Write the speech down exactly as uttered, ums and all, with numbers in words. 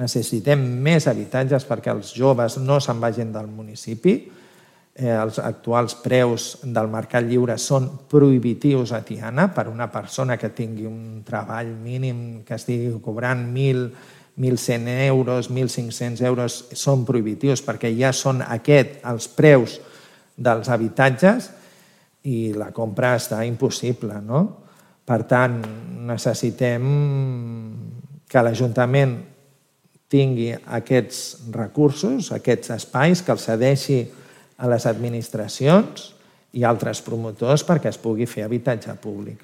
necessitem més habitatges perquè els joves no se'n vagin del municipi. Els actuals preus del mercat lliure són prohibitius a Tiana per una persona que tingui un treball mínim que estigui cobrant mil, mil cent euros, mil cinc-cents euros, són prohibitius perquè ja són aquests els preus dels habitatges i la compra està impossible, no? Per tant, necessitem que l'Ajuntament tingui aquests recursos, aquests espais, que els cedeixi a les administracions i altres promotors perquè es pugui fer habitatge públic.